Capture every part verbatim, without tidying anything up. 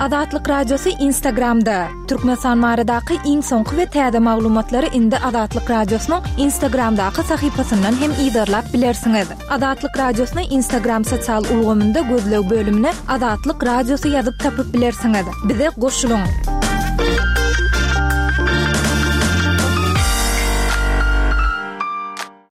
Azatlyk Radiosy Instagramda. Türkmenistan baradaky iň soňky we täze maglumatlary indi Azatlyk Radiosynyň Instagramdaky sahypasyndan hem yzarlap bilersiňiz. Azatlyk Radiosyny Instagram sosial ulgamynda gözleg bölümine Azatlyk Radiosy ýazyp tapyp bilersiňiz. Bize goşulyň.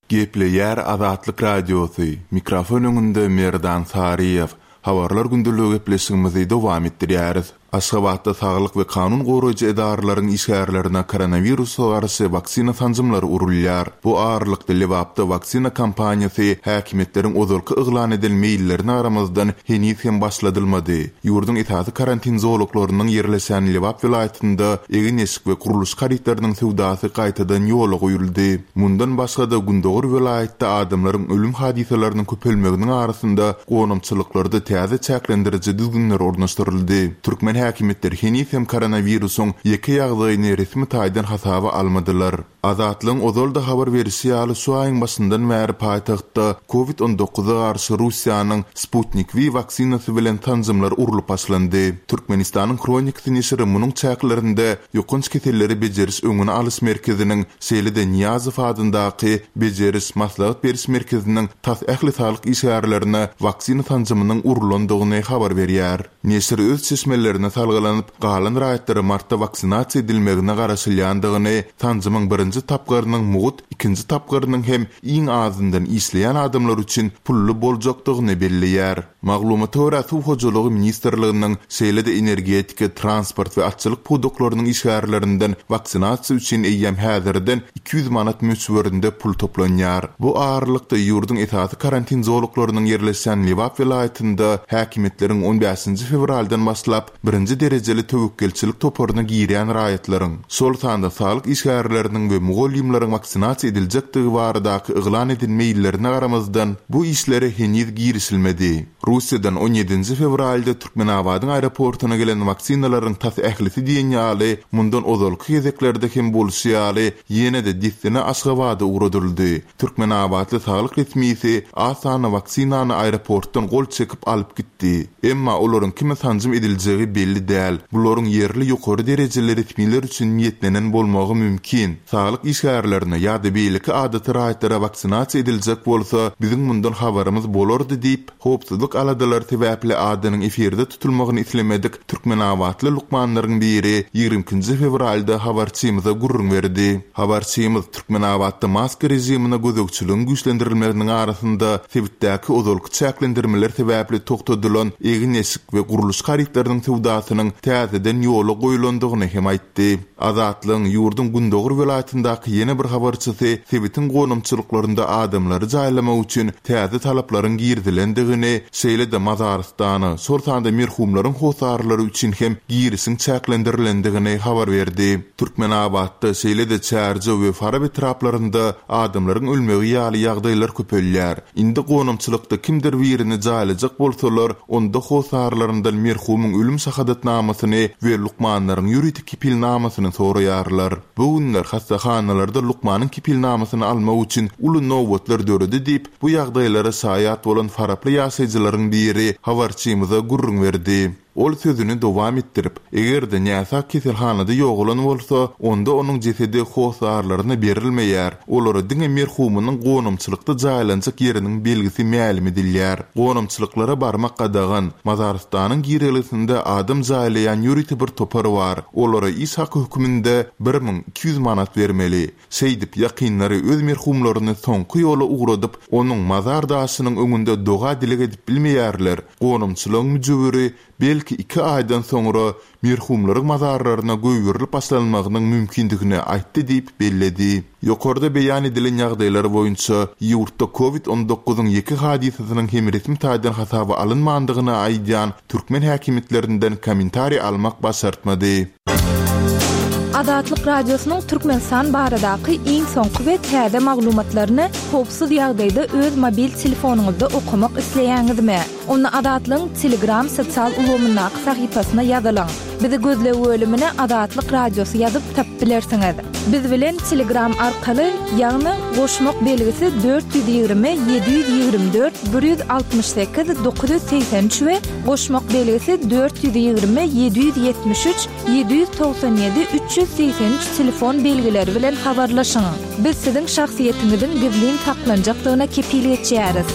Gepleýär Azatlyk Radiosy. Mikrofon öňünde Merdan Saryýew. Habarlar gündeligi gepleşigimizi dowam etdirýäris. Aşgabatda saglyk we kanun goraýjy edaralaryň işgärlerine koronawirusa garşy waksina sanjymlary urulýar. Bu aralykda Lebapda waksina kampaniýasy häkimiýetleriň ozalky yglan eden meýillerine garamazdan heniz hem başladylmady. Ýurduň esasy karantin zolaklarynyň ýerleşen Lebap welaýatynda egin-eşik we gurluşyk harytlarynyň söwdasy gaýtadan ýola goýuldy. Mundan başga-da Gündogar welaýatda adamlaryň ölüm hadysalarynyň köpelmeginiň arasynda gonamçylyklarda täze çäklendiriji düzgünler ornaşdyryldy. Türkmen häkimiýetleri heniz hem koronawirusyň ýeke ýagdaýyny resmi taýdan hasaba almadylar. Azatlygyň ozal-da habar berişi ýaly şu aýyň başyndan bäri paýtagtda Covid on dokuza garşy Russiýanyň Sputnik V waksinasy bilen sanjymlar urlup başlandy. Türkmenistanyň Hronikasy neşiri munuň çäklerinde ýokanç keselleri bejeriş öňüni alyş merkeziniň, şeýle-de Niýazow adyndaky bejeriş maslahat beriş merkeziniň tas ähli saglyk işgärlerine waksina sanjymynyň urulandygyny habar berýär. Neşir öz çeşmelerine salgylanyp, galan raýatlara martda waksinasiýa edilmegine garaşylýandygyny, sanjymyň birinji tapgyrynyň mugut, ikinji tapgyrynyň hem iň azyndan işleýän adamlar üçin pully boljakdygyny belleýär. Maglumata görä Suw hojalygy ministrliginiň şeýle-de energetika, transport we atçylyk pudaklarynyň işgärlerinden waksinasiýa üçin eýýäm häzirden iki ýüz manat möçberinde pul toplanýar. Bu aralykda ýurduň esasy karantin zolaklarynyň ýerleşen Lebap welaýatynda häkimiýetleriň on bäşinji fewraldan başlap birinji derejeli töwekgelçilik toparyna girýän raýatlaryň, şol sanda saglyk işgärleriniň we mugallymlaryň waksinasiýa ediljekdigi baradaky yglan eden meýillerine garamazdan bu işlere heniz girişilmedi. Russiýadan on ýedinji fewralda Türkmenabadyň aeroportuna gelen waksinalaryň tas ählisi diýen ýaly mundan ozalky gezeklerde hem bolşy ýaly ýene-de dessine Aşgabada ugradyldy. Türkmenabatly saglyk resmisi az sanly waksinany aeroportdan gol çekip alyp gitdi. Emma olaryň kime sanjym ediljegi belli däl. Bularyň ýerli ýokary derejeli resmiler üçin niýetlenen bolmagy mümkin. Saglyk işgärlerine ýa-da beýleki adaty raýatlara waksinasiýa ediljek bolsa, biziň mundan habarymyz bolardy diýip, howpsuzlyk aladalary sebäpli adynyň efirde tutulmagyny islemedik Türkmenabatly lukmanlaryň biri ýigrimi ikinji fewralda habarçymyza gürrüň berdi. Habarçymyz Türkmenabatda maska rejimine gözegçiligiň güýçlendirilmeginiň arasynda sebitdäki ozalky çäklendirmeler sebäpli togtadylan egin-eşik we gurluşyk harytlarynyň söwdasynyň täzeden ýola goýulandygyny hem aýtdy. Azatlygyň ýurduň Gündogar welaýatyndaky ýene bir habarçysy sebitiň gonamçylyklarynda adamlary jaýlamak üçin täze talaplaryň girizilendigini, şeýle-de Mazarystana, şol sanda merhumlaryň hosarlary üçin hem girişiň çäklendirilendigini habar berdi. Türkmenabatda şeýle-de Çärje we Farap etraplarynda adamlaryň ölmegi ýaly ýagdaýlar köpelýär. Indi gonamçylykda kimdir birini jaýlajak bolsalar, onda hosarlaryndan merhumyň ölüm şahadatnamasyny we lukmanlaryň ýörite kepilnamasyny soraýarlar. Bu günler hastahanalarda lukmanyň kepilnamasyny almak üçin uly nobatlar döredi diýip, bu ýagdaýlara şaýat bolan faraply ýaşaýjylaryň biri habarçymyza gürrüň berdi. Ol sözüni dowam etdirip, eger-de näsag keselhanada ýogalan bolsa, onda onuň jesedi hosarlaryna berilmeýär. Olara diňe merhumynyň gonamçylykda jaýlanjak ýeriniň belgisi mälim edilýär. Gonamçylyklara barmak gadagan, Mazarystanyň girelgesinde adam jaýlaýan ýörite bir topar bar. Olara iş haky höküminde bir müň iki ýüz manat bermeli. Şeýdip, ýakynlary öz merhumlaryny soňky ýola ugradyp, onuň mazar daşynyň öňünde doga dileg edip bilmeýärler. Gonamçylygyň müjewüri belki iki aýdan soňra merhumlaryň mazarlaryna goýberilip başlanmagynyň mümkindigini aýtdy diýip belledi. Ýokarda beýan edilen ýagdaýlar boýunça ýurtda Covid on dokuzyň ýeke hadysasynyň hem resmi taýdan hasaba alynmandygyny aýdýan türkmen häkimiýetlerinden kommentariý almak başartmady. Azatlyk Radiosynyň Türkmenistan baradaky iň soňky we täze maglumatlaryny howpsuz ýagdaýda öz mobil telefonyňyzda okamak isleýäňizmi? Onda Azatlygyň Telegram sosial ulgamyndaky sahypasyna ýazylyň. Bizi gözleg bölümine Azatlyk Radiosy ýazyp tapyp bilersiňiz. Biz bilen Telegram arkaly, ýagny goşmak belgisi dört ýüz ýigrimi ýedi ýüz ýigrimi dört bir ýüz altmyş sekiz dokuz ýüz segsen üç we goşmak belgisi dört ýüz ýigrimi ýedi ýüz ýetmiş üç ýedi ýüz togsan ýedi üç ýüz segsen üç telefon belgileri bilen habarlaşyň. Biz siziň şahsyýetiňiziň gizlin saklanjakdygyna kepil geçýäris.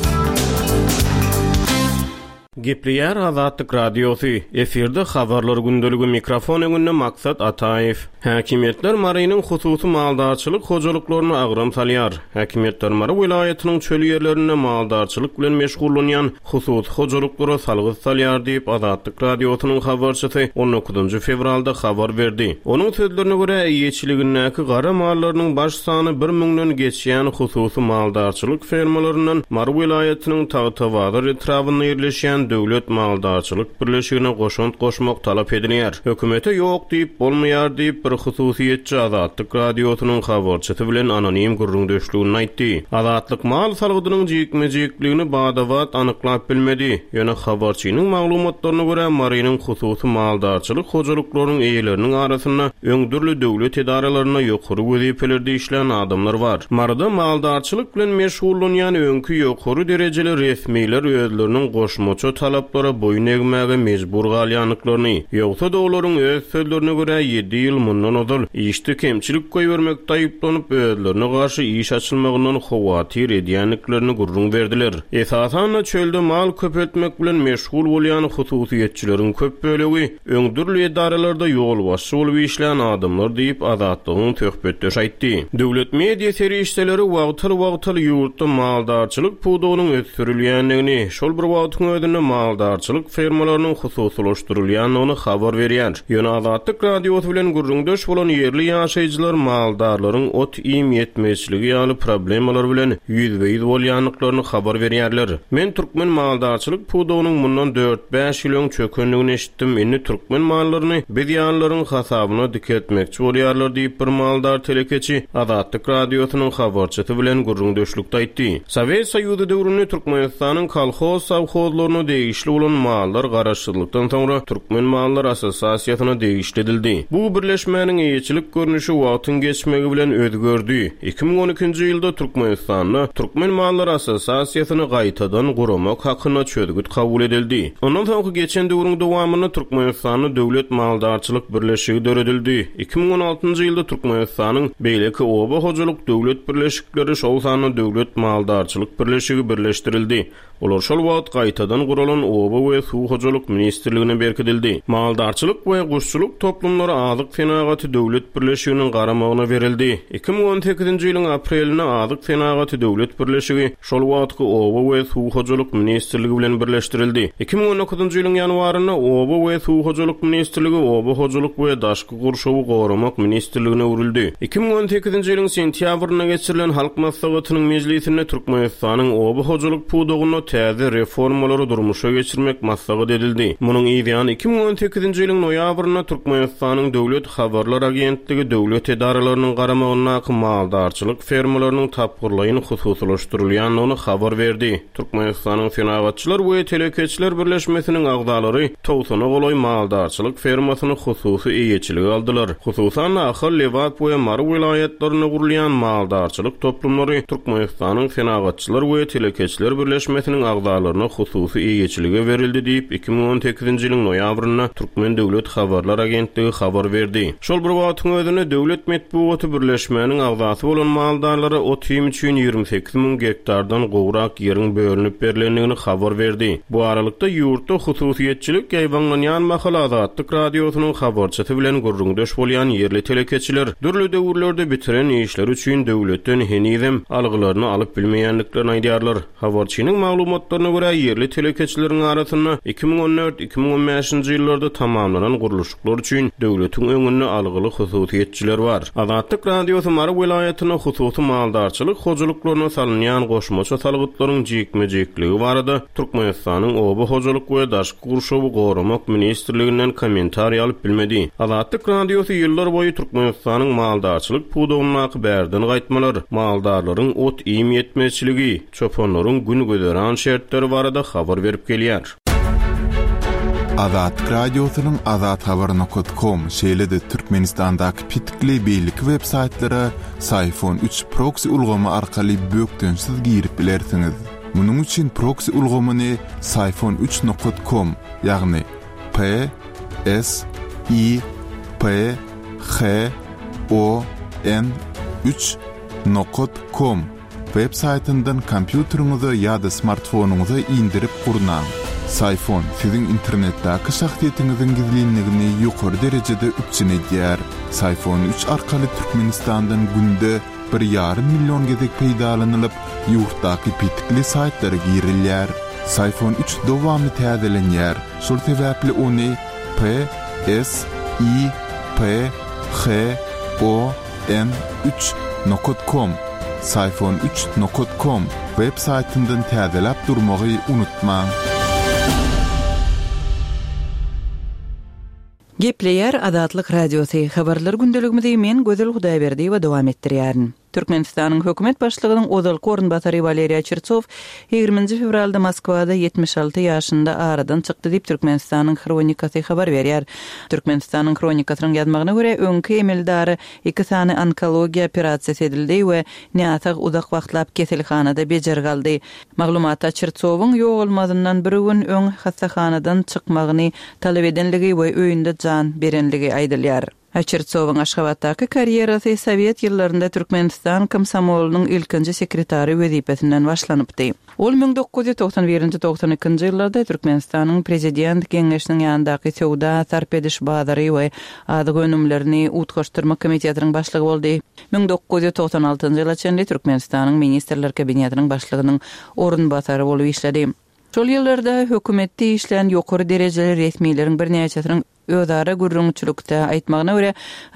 Gepleýär Azatlyk Radiosy. Efirde habarlar gündeligi, mikrofon öňünde Maksat Ataýew. Häkimiýetler Marynyň hususy maldarçylyk hojalyklaryna agram salýar. Häkimiýetler Mary welaýatynyň çöl ýerlerinde maldarçylyk bilen meşgullanýan hususy hojalyklara salgyt salýar diýip Azatlyk Radiosynyň habarçysy on dokuzynjy fewralda habar berdi. Onuň sözlerine görä, eýeçiligindäki gara mallarynyň baş sany bir müňden geçýän hususy maldarçylyk fermalaryndan Mary welaýatynyň Tagtabazar etrabynda ýerleşýän Döwlet Maldarçylyk Birleşigine goşant goşmak talap edilýär. Hökümete ýok diýip bolmaýar diýip bir hususyýetçi Azatlyk Radiosynyň habarçysy bilen anonim gürrüňdeşligini aýtdy. Azatlyk mal salgydynyň jikme-jikligini badabat anyklap bilmedi. Ýöne habarçynyň maglumatlaryna görä Marynyň hususy maldarçylyk hojalyklarynyň eýeleriniň arasynda öň dürli döwlet edaralarynda ýokary wezipelerde işlän adamlar bar. Maryda maldarçylyk bilen meşgullanýan öňki ýokary derejeli resmiler özleriniň goşmaça talaplara boýun egmäge mejbur galýandyklaryny, ýogsa-da olaryň öz sözlerine görä ýedi ýyl mundan ozal işde kemçilik goýbermek daýyplanyp özlerine garşy iş açylmagyndan howatyr edýändiklerini gürrüň berdiler. Esasan-da çölde mal köpeltmek bilen meşgul bolýan hususyýetçileriň köp bölegi öň dürli edaralarda ýolbaşçy bolup işlän adamlar diýip Azatlygyň söhbetdeşi aýtdy. Döwlet media serişdeleri wagtal-wagtal ýurtda maldarçylyk pudagynyň ösdürilýändigini, şol bir wagtyň özünde maldarçylyk fermalarynyň hususylaşdyrylýandygyny habar berýär. Ýöne Azatlyk Radiosy bilen gürrüňdeş bolan ýerli ýaşaýjylar maldarlaryň ot-iým ýetmezçiligi ýaly problemalar bilen ýüzbe-ýüz bolýandyklaryny habar berýärler. Men türkmen maldarçylyk pudagynyň mundan dört-bäş ýyl öň çökendigini eşitdim. Indi türkmen mallaryny biz ýalylaryň hasabyna dikeltmekçi bolýarlar diýip bir maldar telekeçi Azatlyk Radiosynyň habarçysy bilen gürrüňdeşlikde aýtdy. Sowet Soýuzy döwründe Türkmenistanyň kolhoz sowhozlaryna degişli bolan mallar garaşsyzlykdan soňra Türkmen Mallar Assosiasiýasyna degişli edildi. Bu birleşmäniň eýeçilik görnüşi wagtyň geçmegi bilen özgerdi. iki müň on ikinji ýylda Türkmenistanda Türkmen Mallar Assosiasiýasyny gaýtadan guramak hakynda çözgüt kabul edildi. Ondan soňky geçen döwrüň dowamynda Türkmenistanda Döwlet Maldarçylyk Birleşigi döredildi. iki müň on altynjy ýylda Türkmenistanyň beýleki oba hojalyk döwlet birleşikleri, şol sanda Döwlet Maldarçylyk Birleşigi birleşdirildi. Olar şol wagt gaýtadan guralan Oba we Suw hojalyk ministrligine berkidildi. Maldarçylyk we guşçulyk toplumlary Azyk Senagaty Döwlet Birleşiginiň garamagyna berildi. iki müň on sekizinji ýylyň aprelinde Azyk Senagaty Döwlet Birleşigi şol wagtky Oba we Suw hojalyk ministrligi bilen birleşdirildi. iki müň on dokuzynjy ýylyň ýanwarynda Oba we Suw hojalyk ministrligi Oba hojalyk we daşky gurşawy goramak ministrligine öwrüldi. iki müň on sekizinji ýylyň sentýabrynda geçirilen Halk Maslahatynyň mejlisinde Türkmenistanyň oba hojalyk pudagynda täze reformalary durmuşa geçirmek maslahat edildi. Munuň ýany iki müň on sekizinji ýylyň noýabrynda Türkmenistanyň Döwlet Habarlar Agentligi döwlet edaralarynyň garamagyndaky maldarçylyk fermalarynyň tapgyrlaýyn hususylaşdyrylýandygyny habar berdi. Türkmenistanyň Senagatçylar we Telekeçiler Birleşmesiniň agzalary togsana golaý maldarçylyk fermasyny hususy eýeçilige aldylar. Hususan Ahal, Lebap we Mary welaýatlarynda gurulýan maldarçylyk toplumlary Türkmenistanyň Senagatçylar we Telekeçiler Birleşmesiniň agzalaryna hususy eýeçilige berildi diýip iki müň on sekizinji ýylyň noýabrynda Türkmen Döwlet Habarlar Agentligi habar berdi. Şol bir wagtyň özünde Döwlet Metbugaty Birleşmäniň agzasy bolan maldarlara ot-iým üçin ýigrimi sekiz müň gektardan gowrak ýeriň bölünip berilendigini habar berdi. Bu aralykda ýurtda hususyýetçilik ýaýbaňlanýan mahal Azatlyk Radiosynyň habarçysy bilen gürrüňdeş bolýan ýerli telekeçiler dürli döwürlerde bitiren işleri üçin döwletden henizem algylaryny alyp bilmeýändiklerini aýdýarlar. Habarçynyň maglumatlaryna görä ýerli telekeçileriň arasynda iki müň on dört iki müň on bäşinji ýyllarda tamamlanan gurluşyklar üçin döwletiň öňünde algyly hususyýetçiler bar. Azatlyk Radiosy Mary welaýatynda hususy maldarçylyk hojalyklaryna salynýan goşmaça salgytlaryň jikme-jikligi barada Türkmenistanyň Oba hojalyk we daşky gurşawy goramak ministrliginden kommentariý alyp bilmedi. Azatlyk Radiosy ýyllar boýy Türkmenistanyň maldarçylyk pudagyndaky bärden gaýtmalar, maldarlaryň ot-iým ýetmezçiligi, çopanlaryň gün güzeran şertleri barada habar berip gelýär. Azatlyk Radiosynyň azathabar nokat kom, şeýle-de Türkmenistandaky petikli beýleki web saýtlara Syfon üç proksi ulgamy arkaly bökdençsiz girip bilersiňiz. Munuň üçin proksi ulgamyny Syfon üç nokat kom, ýagny P S I P H O N üç nokat kom web saýtyndan kompýuteriňize ýa-da smartfonyňyza indirip gurnaň. Syfon siziň internetdäki şahsyýetiňiziň gizlinligini ýokary derejede üpjün edýär. Syfon üç arkaly Türkmenistandan günde bir ýarym million gezek peýdalanylyp, ýurtdaky petikli saýtlara girilýär. Syfon üç dowamly täzelenýär. Şol sebäpli ony P S I P H O N üç nokat kom, Syfon üç nokat kom web saýtyndan täzeläp durmagy unutmaň. Gepleýär Azatlyk Radiosy. Habarlar gündeligimizi men Gözel Hudaýberdiýewa dowam etdirýärin. Türkmenistanyň hökümet başlygynyň ozalky orunbasary Waleriý Çertsow ýigriminji fewralda Moskwada ýetmiş alty ýaşynda aradan çykdy diýip Türkmenistanyň Hronikasy habar berýär. Türkmenistanyň Hronikasynyň ýazmagyna görä, öňki emeldary iki sany onkologiýa operasiýasy edildi we näsag uzak wagtlap keselhanada bejergi aldy. Maglumatda Çertsowyň ýogalmazyndan bir gün öň hassahanadan çykmagyny talap edenligi we öýünde jan berenligi aýdylýar. Çertsowyň Aşgabatdaky karýerasy Sowet ýyllarynda Türkmenistan komsomolynyň ilkinji sekretary wezipesinden başlanypdy. Ol müň dokuz ýüz togsan birinji togsan ikinji ýyllarda Türkmenistanyň Prezident Geňeşiniň ýanyndaky söwda, sarp ediş bazary we azyk önümlerini utgaşdyrmak komitetiniň başlygy boldy. Müň dokuz ýüz togsan altynjy ýyla çenli Türkmenistanyň Ministrler Kabinetiniň başlygynyň orunbasary bolup işledi. Şol ýyllarda hökümetde işlän ýokary derejeli resmileriň birnäçesiniň özara gürrüňçilikde aýtmagyna görä,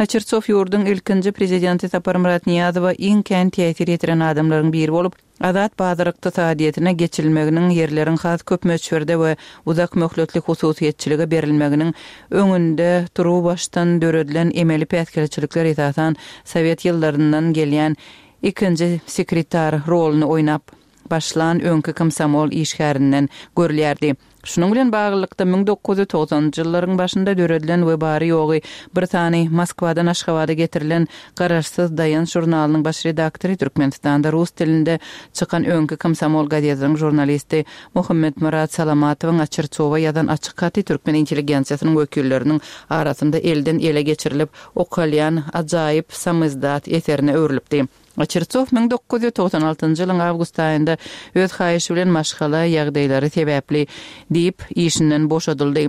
Çertsow ýurduň ilkinji prezidenti Saparmyrat Niýazowa iň kän täsir ýetiren adamlaryň biri bolup, azat bazar ykdysadyýetine geçilmeginiň, ýerleriň has köp möçberde we uzak möhletli hususyýetçilige berilmeginiň öňünde turuwbaşdan döredilen emeli päsgelçilikler esasan Sowet ýyllaryndan gelýän ikinji sekretar roluny oýnap başlan öňki komsomol işgärinden görülýärdi. Şunuň bilen baglylykda müň dokuz ýüz togsanynjy ýyllaryň başynda döredilen we bary ýogy bir sany Moskwadan Aşgabada getirilen Garaşsyz Daýanç žurnalynyň baş redaktory Türkmenistanda rus dilinde çykan öňki komsomol gazetiniň žurnalisti Muhammetmyrat Salamatowyň Çertsowa ýazan açyk haty türkmen intelligensiýasynyň wekilleriniň arasynda elden ele geçirilip okalýan ajaýyp samizdat eserine öwrülipdi. Çertsow müň dokuz ýüz togsan altynjy ýylyň awgust aýynda öz haýyşy bilen maşgala ýagdaýlary sebäpli diýip işinden boşadyldy.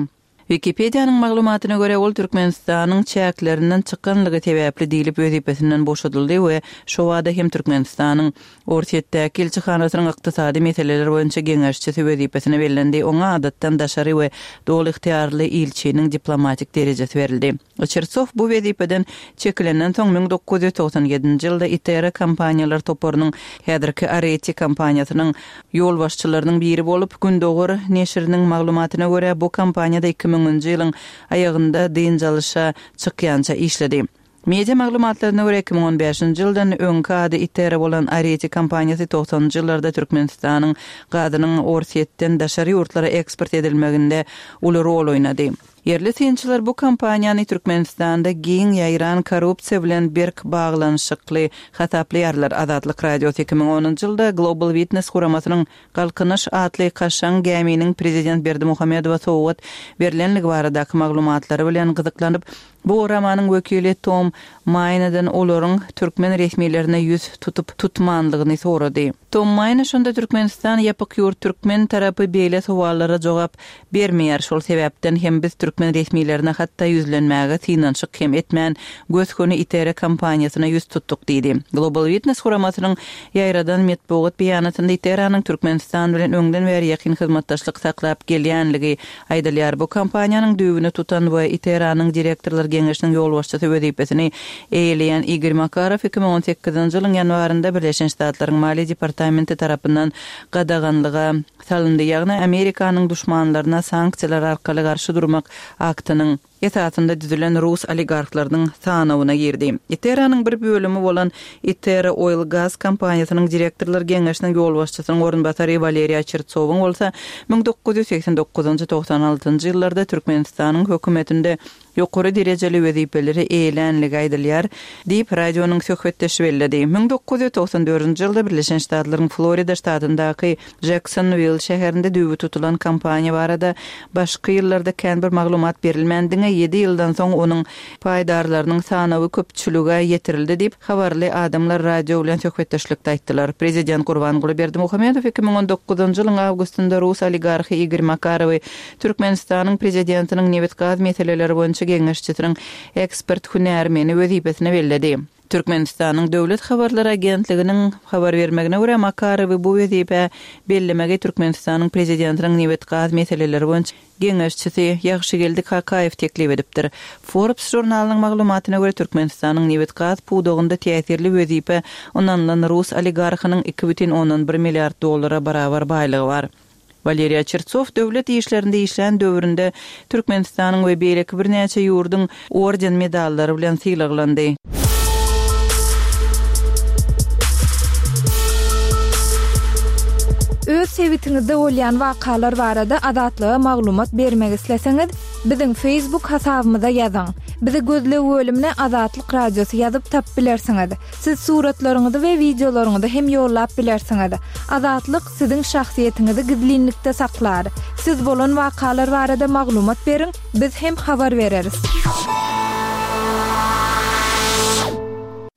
Wikipedianyň maglumatyna görä, ol Türkmenistanyň çäklerinden çykanlygy sebäpli diýlip wezipesinden boşadyldy we şowada hem Türkmenistanyň Orsýetdäki ilçihanasynyň ykdysady meseleler boýunça geňeşçisi wezipesine bellendi. Oňa adatdan daşary we doly ygtyýarly ilçiniň diplomatik derejesi berildi. Çertsow bu wezipeden çekilenden soň müň dokuz ýüz togsan ýedinji ýylda Itera kompaniýalar toparynyň häzirki Areti kompaniýasynyň ýolbaşçylarynyň biri bolup, Gündogar neşiriniň maglumatyna görä, bu kompaniýada iki müňünji ýylyň aýagynda dynç alyşa çykýança işledi. Media maglumatlaryna görä, iki müň on bäşinji ýyldan öňki ady Itera bolan Areti kompaniýasy togsanynjy ýyllarda Türkmenistanyň gazynyň Orsýetden daşary ýurtlara eksport edilmeginde uly rol oýnady. Ýerli synçylar bu kompaniýany Türkmenistanda giň ýaýran korrupsiýa bilen berk baglanyşykly hasaplaýarlar. Azatlyk Radiosy iki müň onunjy ýylda Global Witness guramasynyň Galkynyş atly kaşaň gäminiň prezident Berdimuhamedowa sowgat berlenligi baradaky maglumatlary bilen gyzyklanyp, bu guramanyň wekili Tom Maýnadan olaryň türkmen resmilerine ýüz tutup tutmanlygyny sorady. Tom Maýna şonda Türkmenistan ýapyk ýurt türkmen tarapy beýle sowallara jogap bermeýär. Şol sebäpden hem biz türkmen resmilerine hatda ýüzlenmäge synanyşyk hem etmän göz-göni Itera kompaniýasyna ýüz tutduk diýdi. Global Witness guramasynyň ýaýradan metbugat beýanatynda Iteranyň Türkmenistan bilen öňden bäri ýakyn hyzmatdaşlyk saklap gelýänligi aýdylýar. Bu kompaniýanyň düýbüni tutan we Iteranyň direktorlar geňeşiniň ýolbaşçysy wezipesini eýeleýän Igor Makarow iki müň on sekizinji ýylyň ýanwarynda Birleşen Ştatlaryň Maliýe departamenti tarapyndan gadaganlyga salyndy. Ýagny Amerikanyň duşmanlaryna sanksiýalar arkaly garşy durmak aktynyň esasynda düzülen rus oligarhlarynyň sanawyna girdi. Iteranyň bir bölümi bolan Itera Oil Gas kompaniýasynyň direktorlar geňeşiniň ýolbaşçysynyň orunbasary Waleriýa Çertsowyň bolsa müň dokuz ýüz segsen dokuzynjy togsan altynjy ýyllarda Türkmenistanyň hökümetinde ýokary derejeli wezipeleri eýelänligi aýdylýar diýip radionyň söhbetdeşi belledi. Müň dokuz ýüz togsan dördünji ýylda Birleşen Ştatlaryň Florida ştatyndaky Jacksonville şäherinde düwü tutulan kompaniýa barada başky ýyllarda kän bir maglumat berilmän diňe ýedi ýyldan soň onuň paýdarlarynyň sanawy köpçülige ýetirildi diýip habarly adamlar radio bilen söhbetdeşlikde aýtdylar. Prezident Gurbanguly Berdimuhamedow iki müň on dokuzynjy ýylyň awgustynda rus oligarhy Igor Makarowy Türkmenistanyň prezidentiniň nebit-gaz meseleleri boýunça geňeşçisiniň ekspert hünärmeni wezipesine belledi. Türkmenistanyň Döwlet Habarlar Agentliginiň habar bermegine görä Makarowy bu wezipe bellemegi Türkmenistanyň prezidentiniň nebit-gaz meseleleri boýunça geňeşçisi Ýagşygeldi Kakaýew teklip edipdir. Forbes žurnalynyň maglumatyna görä Türkmenistanyň nebit-gaz pudagynda täsirli wezipe ynanylan rus oligarhynyň iki bütin ondan bir milliard dollara barabar baýlygy bar. Waleriýa Çertsow döwlet işlerinde işlän döwründe Türkmenistanyň we beýleki birnäçe ýurduň orden medallary bilen sylaglandy. Öz sebitiňizde bolýan wakalar barada Azatlyga maglumat bermek isleseňiz, biziň Facebook hasabymyza ýazyň. Bizi gözleg bölümine Azatlyk Radiosy ýazyp tap bilersiňiz. Siz suratlaryňyzy we wideolaryňyzy hem ýollap bilersiňiz. Azatlyk siziň şahsyýetiňizi gizlinlikde saklar. Siz bolan wakalar barada maglumat beriň, biz hem habar bereris.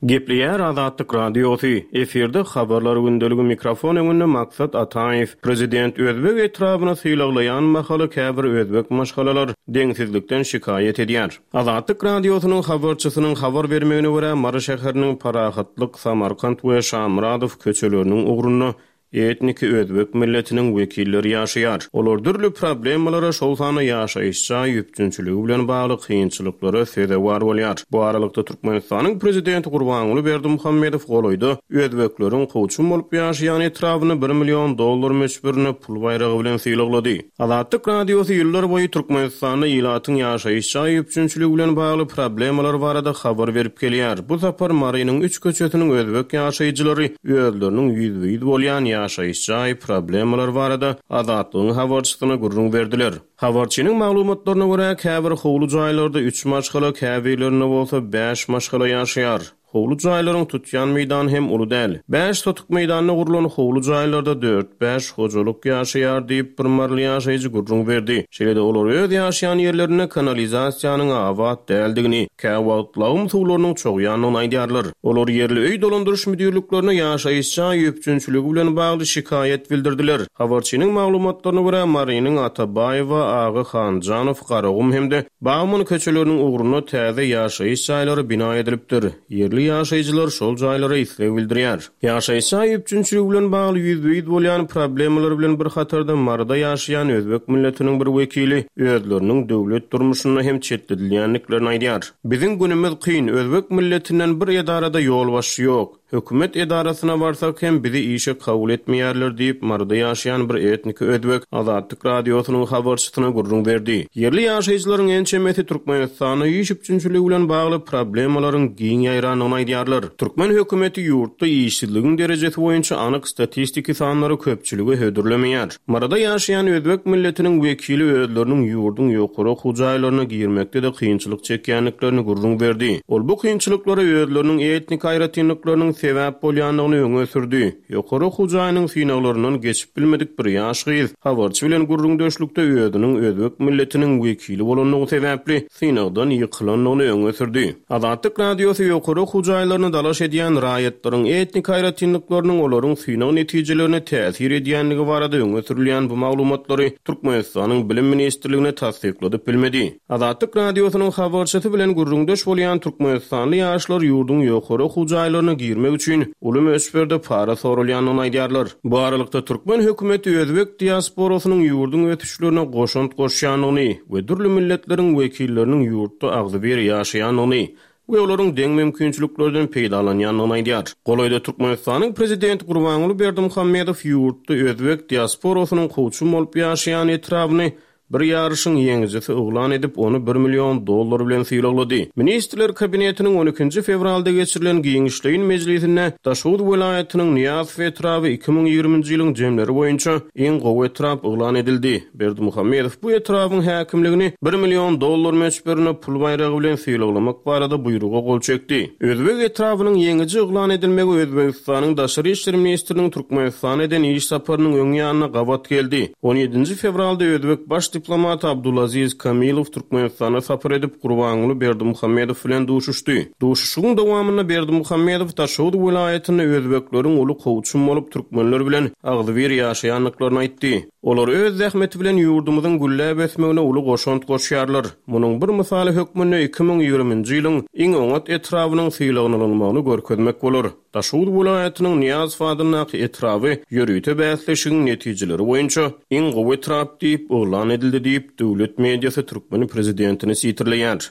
Gepleýär Azatlyk Radiosy. Efirde habarlar gündeligi mikrofon öňünde Maksat Ataýew. Prezident Özbek etrabyny sylaglaýan mahaly käbir özbek maşgalalar deňsizlikden şikaýat edýär. Azatlyk Radiosynyň habarçysynyň habar bermegine görä Mary şäheriniň Parahatlyk, Samarkant we Şamyradow köçeleriniň ugrunda etniki özbek milletiniň wekilleri ýaşaýar. Olar dürli problemalara, şol sanda ýaşaýyş jaý üpjünçiligi bilen bagly kynçylyklara sezewar bolýar. Bu aralykda Türkmenistanyň prezidenti Gurbanguly Berdimuhamedow golaýda özbekleriň kowçum bolup ýaşaýan etrabyny bir million dollar möçberinde pul baýragy bilen sylaglady. Azatlyk Radiosy ýyllar boýy Türkmenistanda ilatyň ýaşaýyş jaý üpjünçiligi bilen bagly problemalar barada habar berip gelýär. Bu sapar Marynyň üç köçesiniň özbek ýaşaýjylary özleriniň ýüzbe-ýüz bolýan ýaşaýyş jaý problemalar barada Azatlygyň habarçysyna gürrüň berdiler. Habarçynyň maglumatlaryna görä käbir howly jaýlarda üç maşgala, käbirlerinde bolsa bäş maşgala ýaşaýar. Howly jaýlaryň tutýan meýdany hem uly däl. Bäş sotuk meýdanda gurlan howly jaýlarda dört-bäş hojalyk ýaşaýar diýip bir maryly ýaşaýjy gürrüň berdi. Şeýle-de olar öz ýaşaýan ýerlerinde kanalizasiýanyň abat däldigini, käwagt lagym suwlarynyň çogýandygyny aýdýarlar. Olar ýerli öý dolandyryş müdirliklerine ýaşaýyş jaý üpjünçiligi bilen bagly şikaýat bildirdiler. Habarçynyň maglumatlaryna görä Marynyň Atabaýewa, Aga Hanjanow, Garagum hem-de Bagman köçeleriniň ugrunda täze ýaşaýyş jaýlary bina edilipdir. Ýerli ýaşaýjylar şol jaýlara isleg bildirýär. Ýaşaýyş jaý üpjünçiligi bilen bagly ýüzbe-ýüz bolýan problemalar bilen bir hatarda Maryda ýaşaýan özbek milletiniň bir wekili özleriniň döwlet durmuşynda hem çetledilýändiklerini aýdýar. Biziň günümiz kyn, özbek milletinden bir edarada ýolbaşçy ýok. Hökümet edarasyna barsak hem bizi işe kabul etmeýärler diýip Maryda ýaşaýan bir etniki özbek Azatlyk Radiosynyň habarçysyna gürrüň berdi. Ýerli ýaşaýjylaryň ençemesi Türkmenistanda iş üpjünçiligi bilen bagly problemalaryň giň ýaýrandygyny aýdýarlar. Türkmen hökümeti ýurtda işsizligiň derejesi boýunça anyk statistiki sanlary köpçülige hödürlemeýär. Maryda ýaşaýan özbek milletiniň wekili özleriniň ýurduň ýokary okuw jaýlaryna girmekde-de kynçylyk çekýändiklerini gürrüň berdi. Ol bu kynçylyklara özleriniň etnik aýratynlyklarynyň sebäp bolýandygyny öňe sürdi. Ýokary okuw jaýynyň synaglaryndan geçip bilmedik bir ýaş gyz habarçy bilen gürrüňdeşlikde özüniň özbek milletiniň wekili bolandygy sebäpli synagdan ýykylandygyny öňe sürdi. Azatlyk Radiosy ýokary okuw jaýlaryna dalaş edýän raýatlaryň etnik aýratynlyklarynyň olaryň synag netijelerine täsir edýändigi barada öňe sürülýän bu maglumatlary Türkmenistanyň Bilim Ministrligine tassykladyp bilmedi. Azatlyk Radiosynyň habarçysy bilen gürrüňdeş bolýan Türkmenistanly ýaşlar ýurduň ýokary okuw jaýlaryna girmek üçin uly möçberde para sorulýandygyny aýdýarlar. Bu aralykda türkmen hökümeti özbek diasporasynyň ýurduň ösüşlerine goşant goşýandygyny we dürli milletleriň wekilleriniň ýurtda agzybir ýaşaýandygyny we olaryň deň mümkinçiliklerden peýdalanýandygyny aýdýar. Golaýda Türkmenistanyň prezidenti Gurbanguly Berdimuhamedow ýurtda özbek diasporasynyň kowçum bolup ýaşaýan etrabyny bir ýaryşyň ýeňijisi yglan edip, ony bir million dollar bilen sylaglady. Ministrler kabinetiniň on ikinji fewralda geçirilen giňişleýin mejlisinde Daşoguz welaýatynyň Nyýazow etraby iki müň ýigriminji ýylyň jemleri boýunça iň gowy etrap yglan edildi. Berdimuhamedow bu etrabyň häkimligini bir million dollar möçberinde pul baýragy bilen sylaglamak barada buýruga gol çekdi. Özbek etrabynyň ýeňiji yglan edilmegi Özbegistanyň Daşary işler ministriniň Türkmenistana eden iş saparynyň öň ýanyna gabat geldi. On ýedinji fewralda Özbek baş diplomaty Abdulaziz Kamilow Türkmenistana sapar edip, Gurbanguly Berdimuhamedow bilen duşuşdy. Duşuşygyň dowamynda Berdimuhamedow Daşoguz welaýatynda özbekleriň uly kowçum bolup türkmenler bilen agzybir ýaşaýandyklaryny aýtdy. Olar öz zähmeti bilen ýurdumyzyň gülläp ösmegine uly goşant goşýarlar. Munuň bir mysaly hökmünde iki müň ýigriminji ýylyň iň oňat etrabynyň sylaglanylygyny görkezmek bolar. Daşoguz welaýatynyň Nyýazow adyndaky etraby ýörite bäsleşigiň netijeleri boýunça iň gowy etrap diýip yglan edildi diýip döwlet mediasy türkmen prezidentini sitirleýär.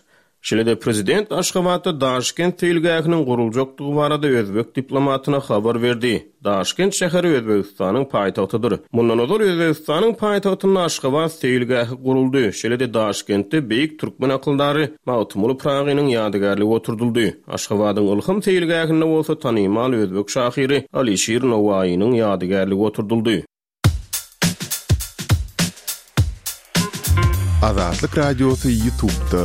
Şeýle-de prezident Aşgabatda Daşkent seýilgähiniň guruljakdygy barada özbek diplomatyna habar berdi. Daşkent şäheri Özbegistanyň paýtagtydyr. Mundan ozal Özbegistanyň paýtagtynda Aşgabat seýilgähi guruldy. Şeýle-de Daşkentde beýik türkmen akyldary Magtymguly Pyragynyň ýadygärligi oturdyldy. Aşgabadyň Ylham seýilgähinde bolsa tanymal özbek şahyry Alişir Nowaýynyň ýadygärligi oturdyldy. Azatlyk Radiosy YouTube'da.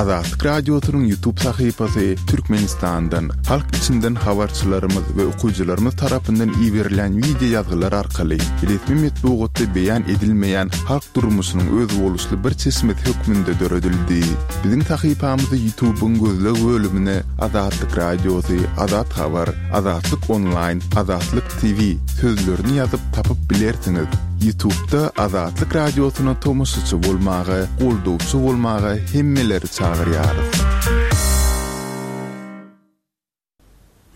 Azatlyk Radiosynyň YouTube sahypasy Türkmenistandan, halk içinden habarçylarymyz we okyjylarymyz tarapyndan iberilen video ýazgylar arkaly resmi metbugatda beýan edilmeýän halk durmuşynyň özboluşly bir çeşmesi hökmünde döredildi. Biziň sahypamyzy YouTube'yň gözleg bölümine Azatlyk Radiosy, Azat Habar, Azatlyk Online, Azatlyk T V sözlerini ýazyp tapyp bilersiňiz. YouTube'da Azatlyk Radiosyna tomaşaçy bolmaga, goldawçy bolmaga hemmeleri çagyrýarys.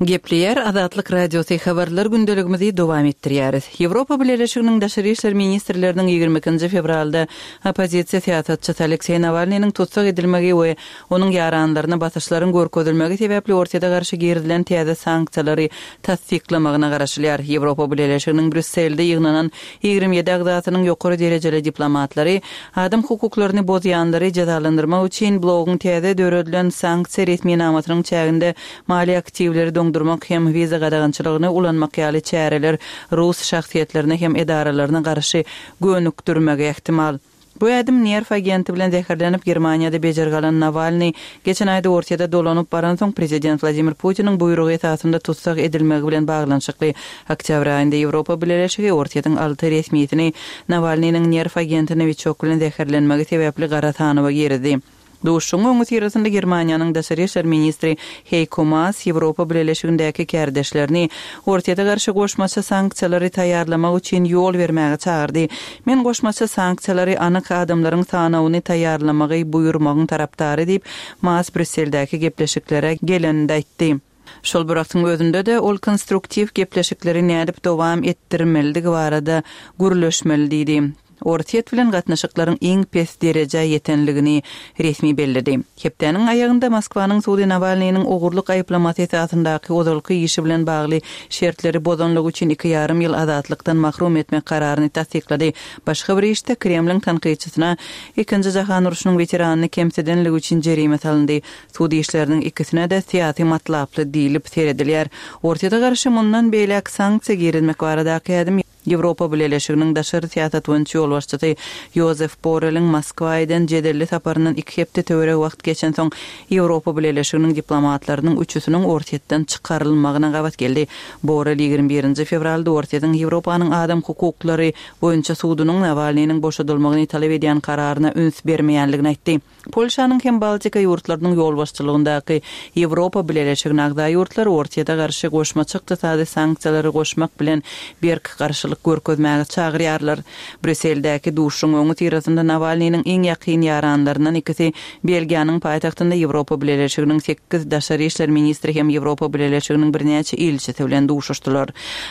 Gepleýär Azatlyk Radiosy habarlar gündeligimizi dowam etdirýäris. Ýewropa Bileleşiginiň Daşary işler ministrleriniň ýigrimi ikinji fewralda oppozisiýa syýasatçysy Alekseý Nawalnynyň tussag edilmegi we onuň ýaranlaryna basyşlaryň görkezilmegi sebäpli Orsýete garşy girizilen täze sanksiýalary tassyklamagyna garaşylýar. Ýewropa Bileleşiginiň Brýusselde ýygnanan ýigrimi ýedi agzasynyň ýokary derejeli diplomatlary adam hukuklaryny bozýanlary jezalandyrmak üçin blogyň täze döredilen sanksiýa resminamasynyň çäginde maliýe aktiwleri doňdurmak hem wiza gadagançylygyny ulanmak ýaly çäreler rus şahsyýetlerine hem edaralaryna garşy gönükdirmegi ehtimal. Bu ädim nerw agenti bilen zäherlenip Germaniýada bejergi alan Nawalny geçen aýda Orsýete dolanyp baransoň prezident Wladimir Putiniň buýrugy esasynda tussag edilmegi bilen baglanyşykly. Oktýabr aýynda Ýewropa Bileleşigi Orsýetiň alty resmisini Nawalnynyň nerw agenti Novichok bilen zäherlenmegi sebäpli gara sanawa girizdi. Duşuň öňi syrasynda Germaniýanyň Daşary işler ministri Heiko Maas Ýewropa Bileleşigindäki kärdeşlerini Orsýete garşy goşmaça sanksiýalary taýýarlamak üçin ýol bermäge çagyrdy. Men goşmaça sanksiýalary anyk adamlaryň sanawyny taýýarlamagy buýurmagyň tarapdary diýip Maas Brýusseldäki gepleşiklere geleninde aýtdy. Şol bir wagtyň özünde-de ol konstruktiw gepleşikleri nädip dowam etdirmelidigi barada gürleşmeli diýdi. Orsýet bilen gatnaşyklaryň iň pes derejä ýetenligini resmi belledi. Hepdäniň aýagynda Moskwanyň sudy Nawalnynyň ogurlyk aýyplamasy esasyndaky ozalky işi bilen bagly şertleri bozanlygy üçin iki ýarym ýyl azatlykdan mahrum etmek kararyny tassyklady. Başga bir işde Kremliň tankytçysyna ikinji jahan urşunyň weteranyny kemsidenligi üçin jerime salyndy. Sud işleriniň ikisine-de syýasy matlaply diýlip seredilýär. Orsýete garşy mundan beýläk sanksiýa girizmek baradaky ädim Ýewropa Bileleşiginiň daşary syýasat boýunça ýolbaşçysy Jozef Borrelliň Moskwa eden jedelli saparyndan iki hepde töweregi wagt geçensoň Ýewropa Bileleşiginiň diplomatlarynyň üçüsiniň Orsýetden çykarylmagyna gabat geldi. Borrell ýigrimi birinji fewralda Orsýetiň Ýewropanyň adam hukuklary boýunça sudunyň Nawalnynyň boşadylmagyny talap edýän kararyna üns bermeýänligini aýtdy. Polşanyň hem Baltika ýurtlarynyň ýolbaşçylygyndaky Ýewropa Bileleşigine agza ýurtlar Orsýete garşy goşmaça ykdysady sanksiýalary goşmak bilen berk garşylyk görkezmäge çagyrýarlar. Brýusseldäki duşuň öňi syrasynda Nawalnynyň iň ýakyn ýaranlaryndan ikisi Belgiýanyň paýtagtynda Ýewropa Bileleşiginiň sekiz daşary işler ministri hem Ýewropa Bileleşiginiň birnäçe ilçisi bilen duşuşdylar.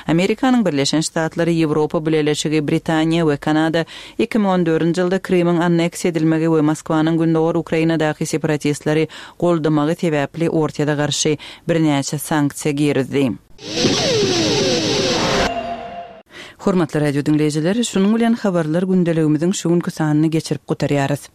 Amerikanyň Birleşen Ştatlary, Ýewropa Bileleşigi, Britaniýa we Kanada iki müň on dördünji ýylda Krymyň anneksiýa edilmegi we Moskwanyň Gündogar Ukrainadaky separatistleri goldamagy sebäpli Orsýete garşy birnäçe sanksiýa girizdi. Hormatly radio diňleýjiler, şunuň bilen habarlar gündeligimiziň şu günki sanyny geçirip gutarýarys.